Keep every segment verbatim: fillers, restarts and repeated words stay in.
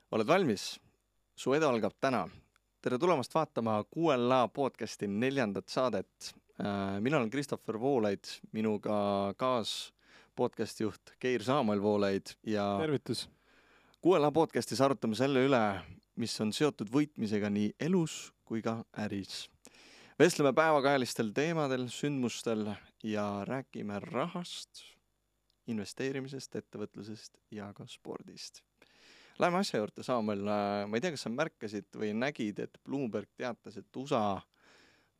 Oled valmis? Su edu algab täna. Tere tulemast vaatama Q L A podcasti neljandat saadet. Mina olen Christopher Voolaid, minuga kaas podcasti juht Keir Saamuel Voolaid ja Tervitus! Q L A podcastis arutame selle üle, mis on seotud võitmisega nii elus kui ka äris. Vestleme päevakajalistel teemadel, sündmustel ja räägime rahast, investeerimisest, ettevõtlusest ja ka spordist. Läheme asja juurde, Saamuel. Ma ei tea, kas sa märkasid või nägid, et Bloomberg teatas, et U S A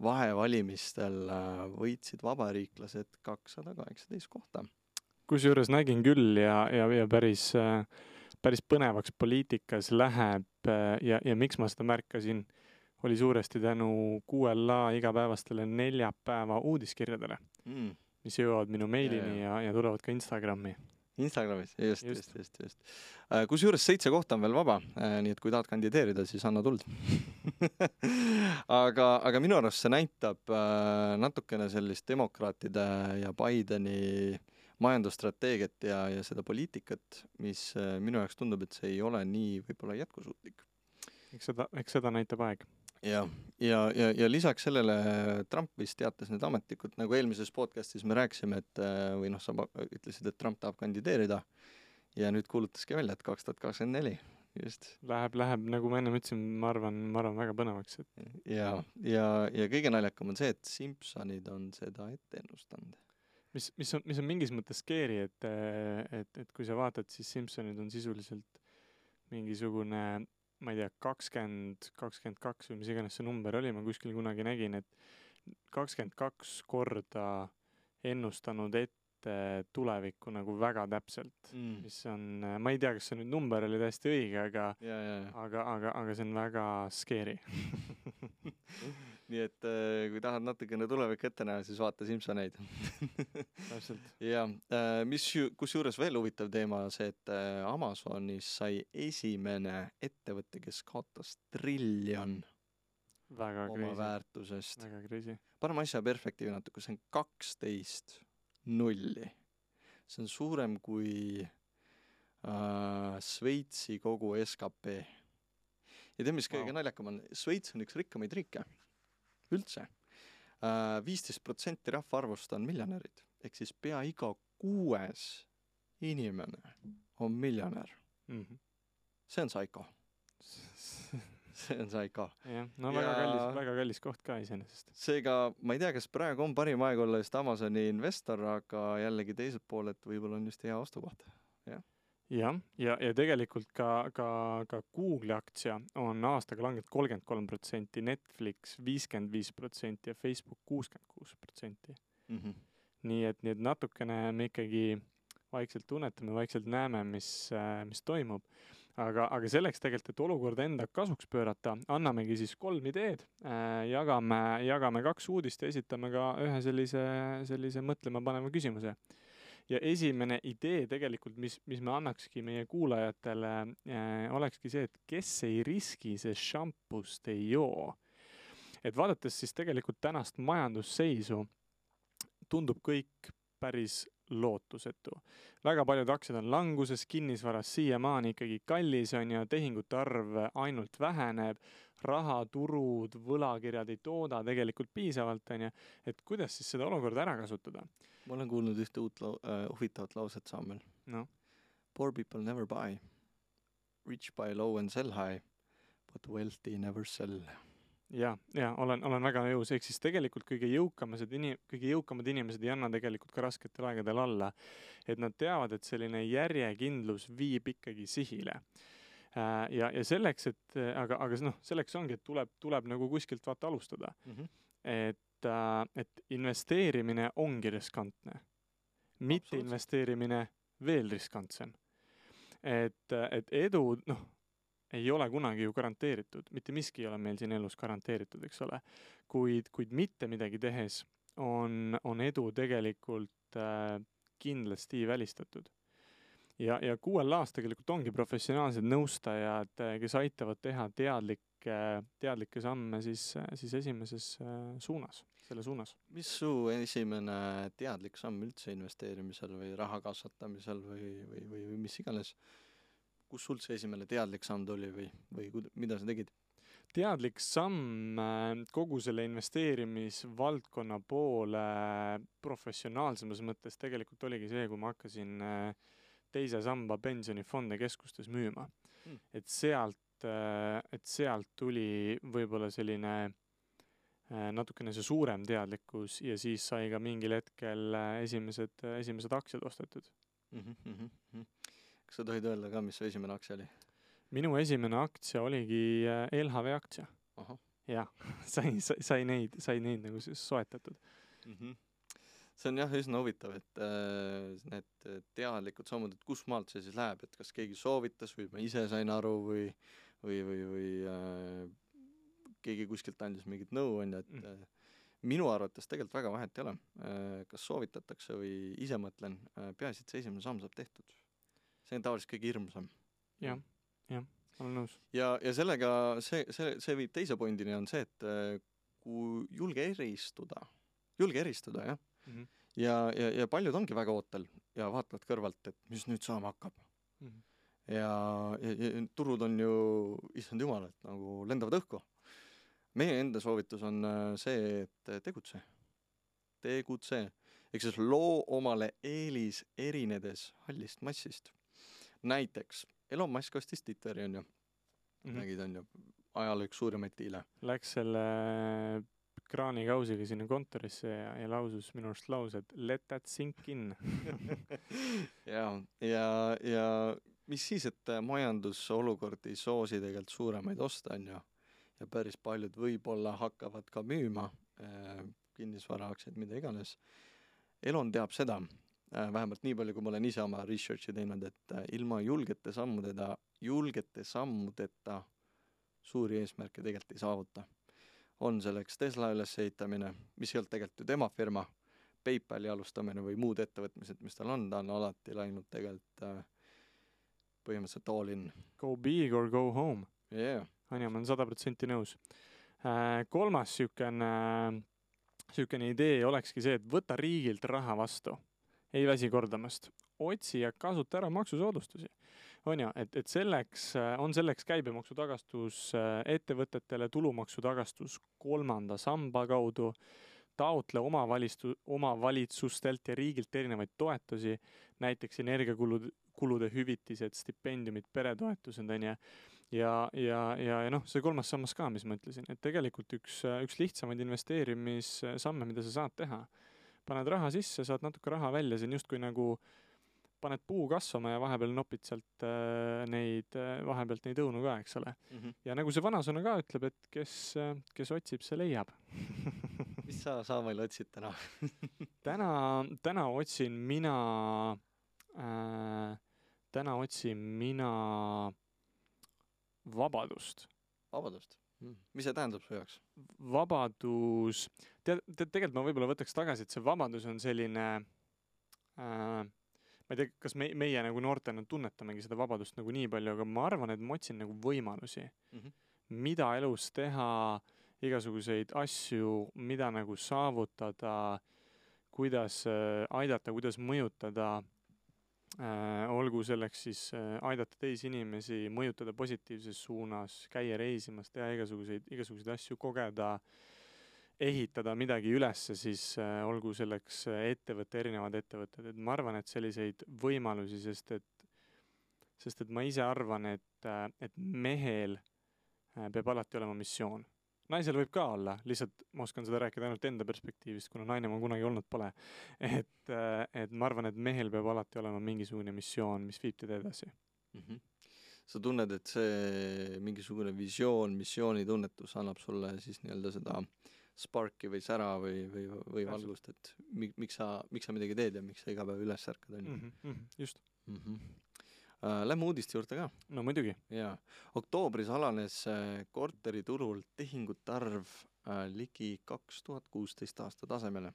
vahevalimistel võitsid vabariiklased kakssada kaheksateist kohta. Kusjuures nägin küll ja, ja, ja päris, päris põnevaks poliitikas läheb ja, ja miks ma seda märkasin, oli suuresti tänu Q L A igapäevastele neljapäeva uudiskirjadele, mm. mis jõuavad minu meilini ja, ja, ja tulevad ka Instagrami. Instagramis, just, just, just, just. Kus juures seitse kohta on veel vaba, nii et kui tahad kandideerida, siis anna tuld. aga, aga minu arust see näitab natukene sellist demokraatide ja Bideni majandusstrateegiat ja, ja seda poliitikat, mis minu jaoks tundub, et see ei ole nii võib-olla jätkusuutlik. Eks seda, eks seda näitab aeg. Ja, ja, ja, ja lisaks sellele Trump vist teatas need ametlikud, nagu eelmises podcastis me rääkisime, et või noh, sa ütlesid, et Trump tahab kandideerida ja nüüd kuulutaski välja, et kaks tuhat kakskümmend neli. Just. Läheb, läheb, nagu ma enne ütlesin, ma arvan, ma arvan väga põnevaks. Et... Ja, ja, ja kõige naljakam on see, et Simpsonid on seda ette ennustanud. Mis, mis, on, mis on mingis mõttes scary, et, et, et kui sa vaatad, siis Simpsonid on sisuliselt mingisugune ma ei tea, kakskümmend, kakskümmend kaks või mis iganes see number oli, ma kuskil kunagi nägin, et kakskümmend kaks korda ennustanud ette tulevikku nagu väga täpselt, mm. mis on, ma ei tea, kas see nüüd number oli täiesti õige, aga, ja, ja, ja. aga, aga, aga see on väga scary. Nii et kui tahad natukene tulevik ette näha, siis vaata Simpsoneid. Täpselt. Ja, mis ju, kus juures veel huvitav teema see, et Amazonis sai esimene ettevõte, kes kaotas triljon väga oma crazy. väärtusest. Väga crazy. Paneme asja perspektiivi natuke, see on kaksteist nulli. See on suurem kui äh, Sveitsi kogu S K P. Ja tea, mis kõige wow. naljakam on, Sveits on üks rikkamaid riike. Üldse. viisteist protsenti rahvaarvust on miljonärid. Ehk siis pea iga kuues inimene on miljonär. Mm-hmm. See on saiko. See on saiko. Ja, no väga, ja... kallis, väga kallis koht ka iseenesest. Seega, ma ei tea, kas praegu on parim aeg olla just Amazoni investor, aga jällegi teiselt pool, et võib-olla on just hea ostukoht. Jah. Ja, ja, ja tegelikult ka, ka, ka Google aktsia on aastaga langenud kolmkümmend kolm protsenti, Netflix viiskümmend viis protsenti ja Facebook kuuskümmend kuus protsenti. Mm-hmm. Nii et, nii et natukene me ikkagi vaikselt tunnetame, vaikselt näeme, mis, mis toimub. Aga, aga selleks tegelikult, et olukorda enda kasuks pöörata, annamegi siis kolm ideed, jagame, jagame kaks uudist ja esitame ka ühe sellise, sellise mõtlema panema küsimuse. Ja esimene idee tegelikult, mis, mis me annakski meie kuulajatele, äh, olekski see, et kes ei riski, see šampust ei joo. Et vaadates siis tegelikult tänast majandusseisu, tundub kõik päris lootusetu. Väga paljud aktsiad on languses, kinnisvaras siiamaani ikkagi kallis on ja tehingute arv ainult väheneb, rahaturud, võlakirjad ei tooda tegelikult piisavalt on ja, et kuidas siis seda olukorda ära kasutada? Ma olen kuulnud ühte uut lau- äh, huvitavat lauset, Samuel. No. Poor people never buy. Rich buy low and sell high, but wealthy never sell. Ja, ja olen, olen väga nõus. Ehk siis tegelikult kõige jõukamad, inim, kõige jõukamad inimesed ei anna tegelikult ka rasketel aegadel alla. Et nad teavad, et selline järjekindlus viib ikkagi sihile. Ja, ja selleks, et, aga, aga no, selleks ongi, et tuleb, tuleb nagu kuskilt vaata alustada. Mm-hmm. Et et investeerimine ongi riskantne. Mitte investeerimine veel riskantsem. Et, et edu, noh, ei ole kunagi ju garanteeritud. Mitte miski ei ole meil siin elus garanteeritud, eks ole. Kuid, kuid mitte midagi tehes on, on edu tegelikult äh, kindlasti välistatud. Ja, ja Q L A-s tegelikult ongi professionaalsed nõustajad, kes aitavad teha teadlik teadlikke samme siis, siis esimeses suunas, selle suunas. Mis su esimene teadlik samm üldse investeerimisel või raha kasvatamisel või, või, või, või mis iganes? kus sul see esimene teadlik samm tuli või, või kud- mida sa tegid? Teadlik samm äh, kogu selle investeerimisvaldkonna poole professionaalsemas mõttes tegelikult oligi see, kui ma hakkasin äh, teise samba pensionifonde keskustes müüma. Mm. Et sealt, äh, et sealt tuli võib-olla selline äh, natukene see suurem teadlikkus ja siis sai ka mingil hetkel äh, esimesed, esimesed aktsiad ostetud. Mm-hmm, mm-hmm. Kas sa tohid öelda ka, mis su esimene aktsia oli? Minu esimene aktsia oligi L H V aktsia. Aha. Jah, sai, sai, sai neid, sai neid nagu siis soetatud. Mm-hmm. See on jah üsna huvitav, et äh, need teadlikud sammud, et kus maalt see siis läheb, et kas keegi soovitas või ma ise sain aru või, või, või, või äh, keegi kuskilt andis mingit nõu, on, et äh, minu arvates tegelikult väga vahet ei ole, äh, kas soovitatakse või ise mõtlen, äh, peaasi, et see esimene samm saab tehtud. See on tavaliselt kõige hirmsam. Jah, jah, olen nõus. Ja, ja sellega, see, see, see viib teise pointini on see, et äh, kui julge eristuda, julge eristuda, jah. Mm-hmm. Ja, ja, ja paljud ongi väga ootel ja vaatavad kõrvalt, et mis nüüd saama hakkab. Mm-hmm. Ja, ja, ja turud on ju, issand jumal, et nagu lendavad õhku. Meie enda soovitus on see, et tegutse. Tegutse. Eks siis loo omale eelis erinedes hallist massist. Näiteks, Elon Musk ostis Twitteri, on ju. Mm-hmm. Nägid, on ju, ajal üks suurimaid diile. Läks selle kraanikausiga sinna kontorisse ja, ja lausus minu arust lause, et let that sink in. ja, ja, ja mis siis, et majandusolukord ei soosi tegelikult suuremaid osta, on ju. Ja päris paljud võib-olla hakkavad ka müüma äh, kinnisvaraaktsiaid, mida iganes. Elon teab seda, äh, vähemalt nii palju, kui ma olen ise oma researchi teinud, et äh, ilma julgete sammudeta, julgete sammudeta suuri eesmärke tegelikult ei saavuta. On selleks Tesla ülesehitamine, mis ei olnud tegelikult ju tema firma, PayPali alustamine või muud ettevõtmised, mis tal on, ta on alati läinud tegelikult äh, põhimõtteliselt all in. Go big or go home. Yeah. Anja, ma olen sada protsenti nõus. Äh, kolmas sükene, sükene idee olekski see, et võta riigilt raha vastu. Ei väsi kordamast. Otsi ja kasuta ära maksusoodustusi. On ja, et, et selleks, on selleks käibemaksu tagastus ettevõtetele, tulumaksu tagastus kolmanda samba kaudu, taotle omavalistu, omavalitsustelt ja riigilt erinevaid toetusi, näiteks energiakulude kulude hüvitised, stipendiumid, peretoetused, on ja Ja, ja, ja, ja noh, see kolmas sammas ka, mis ma ütlesin, et tegelikult üks, üks lihtsamaid investeerimissamme, mida sa saad teha. Paned raha sisse, saad natuke raha välja, see on just kui nagu paned puu kasvama ja vahepeal nopid sealt äh, neid, vahepealt neid õunu ka, eks ole. Mm-hmm. Ja nagu see vanasõna ka ütleb, et kes, kes otsib, see leiab. Mis sa Saamail otsid täna? täna, täna otsin mina, äh, täna otsin mina vabadust. Vabadust? Mm. Mis see tähendab su jaoks? Vabadus, tead, tead, tegelikult ma võib-olla võtaks tagasi, et see vabadus on selline, äh, ma ei tea, kas me, meie nagu noortena tunnetamegi seda vabadust nagu nii palju, aga ma arvan, et ma otsin nagu võimalusi, mm-hmm. mida elus teha, igasuguseid asju, mida nagu saavutada, kuidas äh, aidata, kuidas mõjutada, Äh, olgu selleks siis äh, aidata teisi inimesi, mõjutada positiivses suunas, käia reisimas, teha igasuguseid, igasuguseid asju, kogeda, ehitada midagi ülesse, siis äh, olgu selleks ettevõtte, erinevad ettevõtted. Et ma arvan, et selliseid võimalusi, sest et, sest et ma ise arvan, et, et mehel peab alati olema missioon. Naisel võib ka olla, lihtsalt ma oskan seda rääkida ainult enda perspektiivist, kuna naine ma kunagi olnud pole. Et, et ma arvan, et mehel peab alati olema mingisugune missioon, mis viib teda edasi. Mm-hmm. Sa tunned, et see mingisugune visioon, missioonitunnetus annab sulle siis nii-öelda seda sparki või sära või, või, või valgust, et miks sa, miks sa midagi teed ja miks sa iga päev üles ärkad? Mm-hmm. Just. Mm-hmm. Lähme uudiste juurde ka. No muidugi. Jaa. Oktoobris alanes korteriturul tehingute arv ligi kaks tuhat kuusteist aasta tasemele.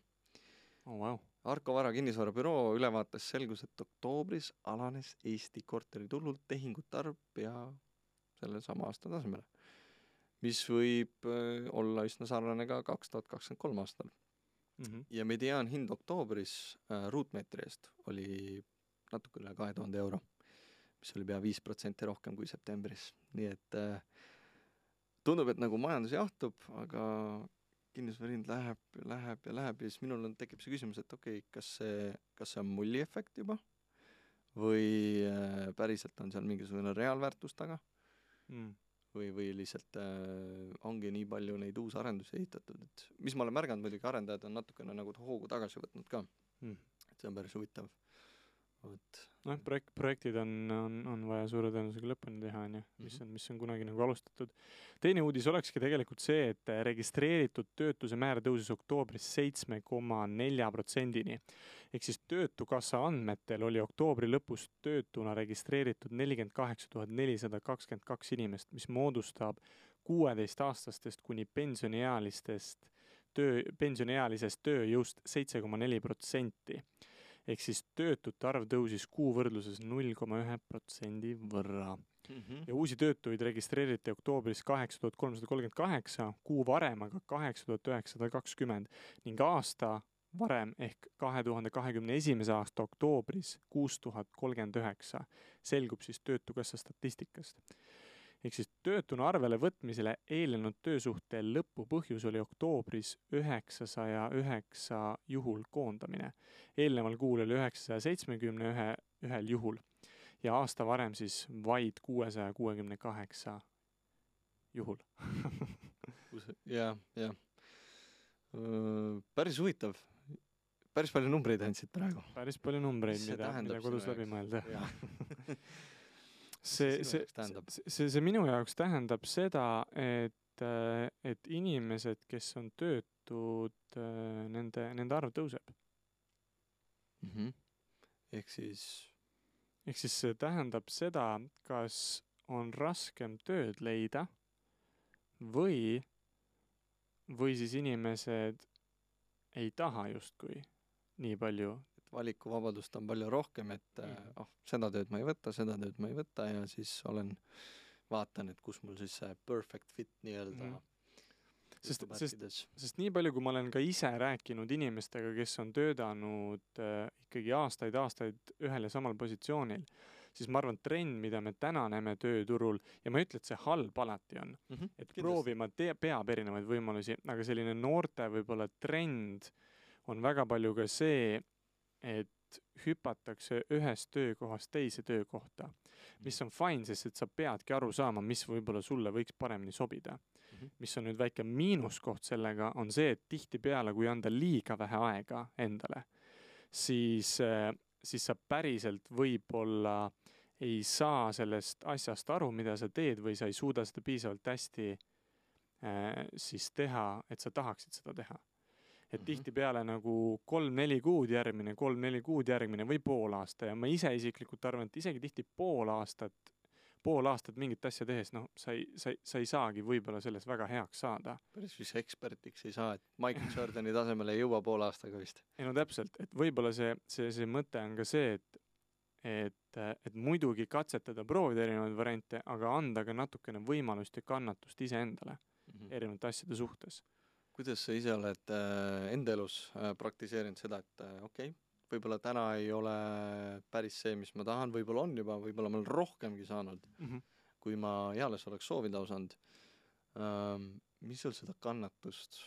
Oh, wow. Arko Vara kinnisvarabüroo ülevaates selgus, et oktoobris alanes Eesti korteriturul tehingute arv pea selle sama aasta tasemele, mis võib olla üsna sarnane ka kaks tuhat kakskümmend kolm aastal. Mm-hmm. Ja mediaan hind oktoobris ruutmeetri eest oli natuke üle kahe tuhande euro. mis oli pea viis protsenti rohkem kui septembris. Nii et äh, tundub, et nagu majandus jahtub, aga kinnisvara hind läheb, läheb ja läheb ja siis minul on, tekib see küsimus, et okei, okay, kas see, kas see on mulli efekt juba või äh, päriselt on seal mingisugune reaalväärtus taga mm. või, või lihtsalt äh, ongi nii palju neid uusarendusi ehitatud, et mis ma olen märganud, muidugi arendajad on natukene nagu hoogu tagasi võtnud ka mm. et see on päris huvitav. Vot. noh, projekt, projektid on, on, on vaja suure tõenäosusega lõpuni teha, on ju, mis on, mis on kunagi nagu alustatud. Teine uudis olekski tegelikult see, et registreeritud töötuse määr tõusis oktoobris seitsme koma nelja protsendini. Ehk siis töötukassa andmetel oli oktoobri lõpus töötuna registreeritud nelikümmend kaheksa tuhat nelisada kakskümmend kaks inimest, mis moodustab kuueteistaastastest kuni pensioniealistest töö, pensioniealisest tööjõust seitse koma neli protsenti. Ehk siis töötute arv tõusis kuu võrdluses null koma üks protsendi võrra. Mm-hmm. Ja uusi töötuid registreeriti oktoobris kaheksa tuhat kolmsada kolmkümmend kaheksa, kuu varem aga kaheksa tuhat üheksasada kakskümmend ning aasta varem ehk kahe tuhande kahekümne esimese aasta oktoobris kuus tuhat kolmkümmend üheksa selgub siis töötukassa statistikast. Ehk siis töötuna arvele võtmisele eelnenud töösuhte lõpu põhjus oli oktoobris üheksasaja üheksa juhul koondamine. Eelneval kuul oli üheksasaja seitsmekümne ühel juhul ja aasta varem siis vaid kuuesaja kuuekümne kaheksa juhul. jah, jah. Päris huvitav. Päris palju numbreid andsid praegu. Päris palju numbreid, mida, mida kodus läbi mõelda. See, see, see, see minu jaoks tähendab seda, et, et inimesed, kes on töötud, nende, nende arv tõuseb. Mm-hmm. Ehk siis... Ehk siis see tähendab seda, kas on raskem tööd leida või, või siis inimesed ei taha justkui nii palju valikuvabadust on palju rohkem, et mm. oh, seda tööd ma ei võta, seda tööd ma ei võta ja siis olen, vaatan, et kus mul siis see perfect fit nii-öelda mm. sest, sest, sest nii palju, kui ma olen ka ise rääkinud inimestega, kes on töötanud äh, ikkagi aastaid-aastaid ühel ja samal positsioonil, siis ma arvan, trend, mida me täna näeme tööturul, ja ma ütlen, et see halb alati on, mm-hmm. et Kindlasti. Proovima te- peab erinevaid võimalusi, aga selline noorte võib-olla trend on väga palju ka see, et hüpatakse ühest töökohast teise töökohta, mis on fine, sest et sa peadki aru saama, mis võib-olla sulle võiks paremini sobida. Mm-hmm. Mis on nüüd väike miinuskoht sellega, on see, et tihtipeale, kui anda liiga vähe aega endale, siis, siis sa päriselt võib-olla ei saa sellest asjast aru, mida sa teed või sa ei suuda seda piisavalt hästi äh, siis teha, et sa tahaksid seda teha. Et mm-hmm. tihtipeale nagu kolm-neli kuud järgmine, kolm-neli kuud järgmine või pool aasta ja ma ise isiklikult arvan, et isegi tihti pool aastat, pool aastat mingit asja tehes, noh, sa ei, sa, sa ei saagi võib-olla selles väga heaks saada. Päris vist ekspertiks ei saa, et Michael Jordani tasemele ei jõua pool aastaga vist. Ei no täpselt, et võib-olla see, see, see mõte on ka see, et, et, et muidugi katsetada, proovida erinevaid variante, aga anda ka natukene võimalust ja kannatust iseendale mm-hmm. erinevate asjade suhtes. Kuidas sa ise oled äh, enda elus äh, praktiseerinud seda, et äh, okei, okay, võib-olla täna ei ole päris see, mis ma tahan, võib-olla on juba, võib-olla ma olen rohkemgi saanud, mm-hmm. kui ma eales oleks soovida osanud. Ähm, mis sul seda kannatust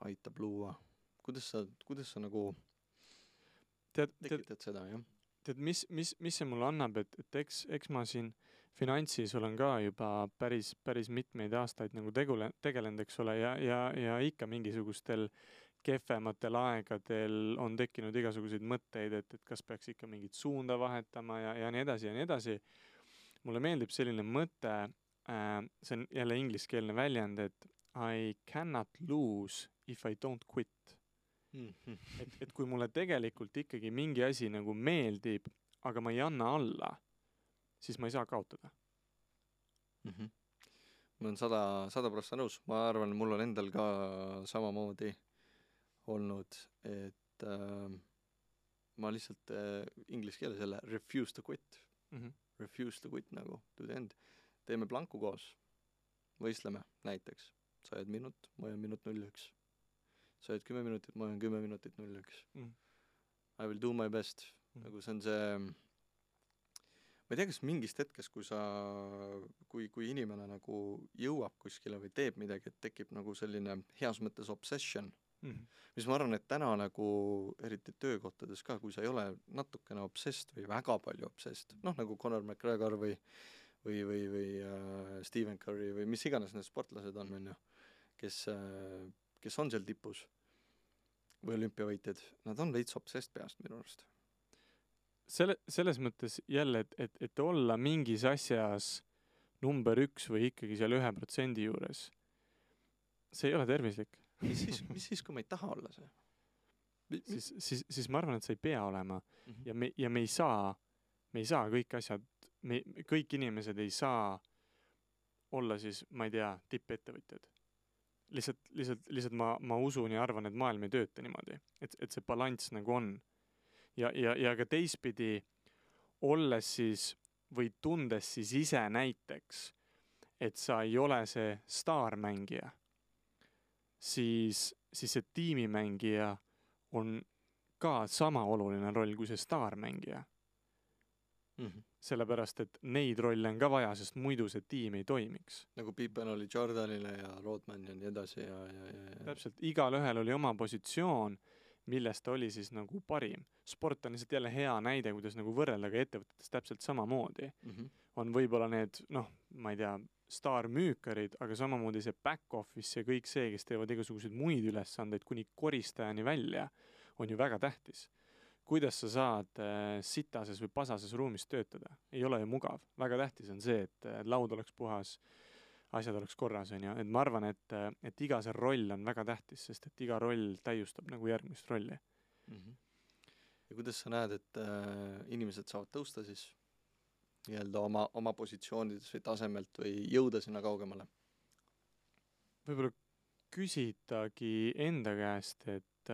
aitab luua? Kuidas sa, kuidas sa nagu tead, tekitad tead, seda, jah? Tead, mis, mis, mis see mulle annab, et, et eks, eks ma siin finantsis olen ka juba päris, päris mitmeid aastaid nagu tegule, tegelenud, eks ole, ja, ja, ja ikka mingisugustel kehvematel aegadel on tekkinud igasuguseid mõtteid, et, et kas peaks ikka mingit suunda vahetama ja, ja nii edasi ja nii edasi. Mulle meeldib selline mõte, äh, see on jälle ingliskeelne väljend, et I cannot lose if I don't quit. Mm-hmm. Et, et kui mulle tegelikult ikkagi mingi asi nagu meeldib, aga ma ei anna alla, siis ma ei saa kaotada. Mm-hmm. Ma olen sada, sada prossa nõus. Ma arvan, mul on endal ka samamoodi olnud, et äh, ma lihtsalt äh, inglise keeles jälle refuse to quit. Mm-hmm. Refuse to quit nagu to the end. Teeme planku koos. Võistleme näiteks. Sa jääd minut, ma jään minut null üks. Sa jääd kümme minutit, ma jään kümme minutit null üks. Mm. I will do my best. Mm. Nagu see on see ma ei tea, kas mingist hetkest, kui sa, kui, kui inimene nagu jõuab kuskile või teeb midagi, et tekib nagu selline heas mõttes obsession, mm. mis ma arvan, et täna nagu eriti töökohtades ka, kui sa ei ole natukene obsessed või väga palju obsessed, noh nagu Conor McGregor või või, või, või uh, Stephen Curry või mis iganes need sportlased on, on ju, kes, uh, kes on seal tipus või olümpiavõitjad, nad on veits obsessed peast minu arust. Selle, selles mõttes jälle, et, et, et olla mingis asjas number üks või ikkagi seal ühe protsendi juures, see ei ole tervislik. mis siis, mis siis, kui ma ei taha olla see? siis, siis, siis ma arvan, et sa ei pea olema mm. -hmm. ja me, ja me ei saa, me ei saa kõik asjad, me, kõik inimesed ei saa olla siis, ma ei tea, tippettevõtjad. Lihtsalt, lihtsalt, lihtsalt ma, ma usun ja arvan, et maailm ei tööta niimoodi, et, et see balanss nagu on. Ja, ja, ja ka teistpidi olles siis või tundes siis ise näiteks, et sa ei ole see staarmängija, siis, siis see tiimimängija on ka sama oluline roll kui see staarmängija. Mm -hmm. Sellepärast, et neid rolle on ka vaja, sest muidu see tiim ei toimiks. Nagu Pippen oli Jordanile ja Rodman ja nii edasi ja, ja, ja, ja. Täpselt, igal ühel oli oma positsioon, millest ta oli siis nagu parim. Sport on lihtsalt jälle hea näide, kuidas nagu võrrelda ka ettevõtetes täpselt samamoodi. Mm -hmm. On võib-olla need, noh, ma ei tea, staarmüükarid, aga samamoodi see back office ja kõik see, kes teevad igasuguseid muid ülesandeid kuni koristajani välja, on ju väga tähtis. Kuidas sa saad äh, sitases või pasases ruumis töötada? Ei ole ju mugav. Väga tähtis on see, et äh, laud oleks puhas, asjad oleks korras, on ju. Et ma arvan, et, et iga see roll on väga tähtis, sest et iga roll täiustab nagu järgmist rolli. Mm -hmm. Ja kuidas sa näed, et äh, inimesed saavad tõusta siis nii-öelda oma, oma positsioonides või tasemelt või jõuda sinna kaugemale? Võib-olla küsitagi enda käest, et,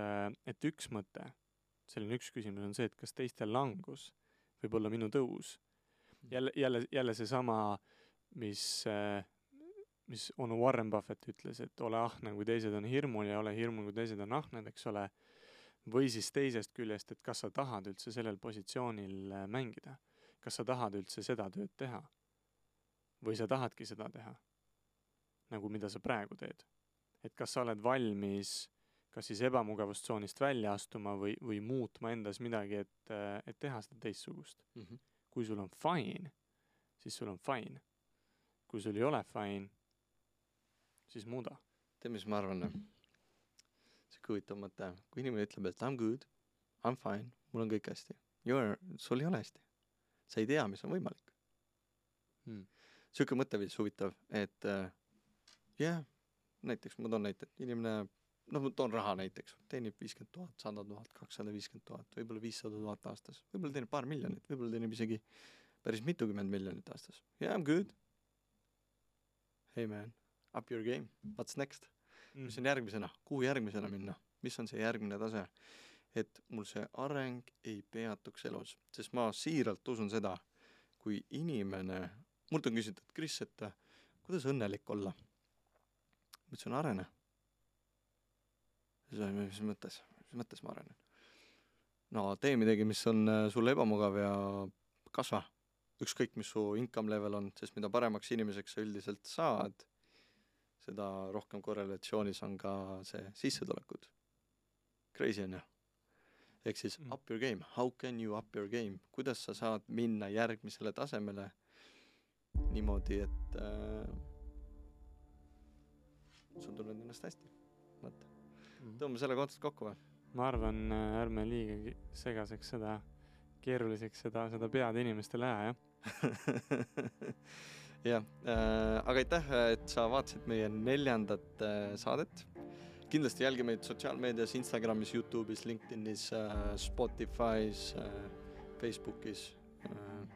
et üks mõte, selline üks küsimus on see, et kas teistel langus võib olla minu tõus. Jälle, jälle, jälle see sama, mis, mis onu Warren Buffett ütles, et ole ahne, kui teised on hirmul ja ole hirmul, kui teised on ahned, eks ole. Või siis teisest küljest, et kas sa tahad üldse sellel positsioonil mängida. Kas sa tahad üldse seda tööd teha? Või sa tahadki seda teha? Nagu mida sa praegu teed. Et kas sa oled valmis kas siis ebamugavustsoonist välja astuma või, või muutma endas midagi, et, et teha seda teistsugust. Mm -hmm. Kui sul on fine, siis sul on fine. Kui sul ei ole fine, siis muuda. Tead, mis ma arvan? See huvitav mõte. Kui inimene ütleb, et I'm good, I'm fine, mul on kõik hästi. You're, sul ei ole hästi. Sa ei tea, mis on võimalik. Hmm. Siuke mõtteviis huvitav, et jah, yeah, näiteks ma toon näite, et inimene, noh, ma toon raha näiteks, teenib viiskümmend tuhat, sada tuhat, kakssada viiskümmend tuhat, võib-olla viissada tuhat aastas, võib-olla teenib paar miljonit, võib-olla teenib isegi päris mitukümmend miljonit aastas. Yeah, I'm good. Hey man, up your game, what's next? Mm. Mis on järgmisena? Kuhu järgmisena minna? Mis on see järgmine tase? Et mul see areng ei peatuks elus, sest ma siiralt usun seda, kui inimene, mult on küsitud, et Kris, et kuidas õnnelik olla? Ma ütlesin, arene. Mis mõttes? Mis mõttes ma arenen? No tee midagi, mis on sulle ebamugav ja kasva. Ükskõik, mis su income level on, sest mida paremaks inimeseks sa üldiselt saad, seda rohkem korrelatsioonis on ka see sissetulekud. Crazy on ju. Ehk siis mm. up your game. How can you up your game? Kuidas sa saad minna järgmisele tasemele niimoodi, et äh, sul tunned ennast hästi. Mõtta. Mm. Tõmbame selle kohta kokku või? Ma arvan, ärme liiga segaseks seda, keeruliseks seda, seda pead inimestele aja, jah? jah, äh, aga aitäh, et sa vaatasid meie neljandat äh, saadet. Kindlasti jälgi meid sotsiaalmeedias, Instagramis, YouTube'is, LinkedInis, äh, Spotify's, äh, Facebookis. Äh,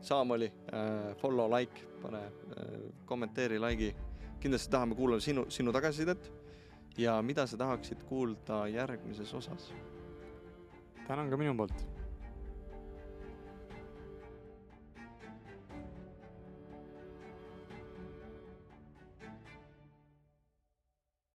Saamoli, äh, follow, like, pane äh, kommenteeri, like'i. Kindlasti tahame kuulda sinu, sinu tagasisidet ja mida sa tahaksid kuulda järgmises osas. Tänan ka minu poolt.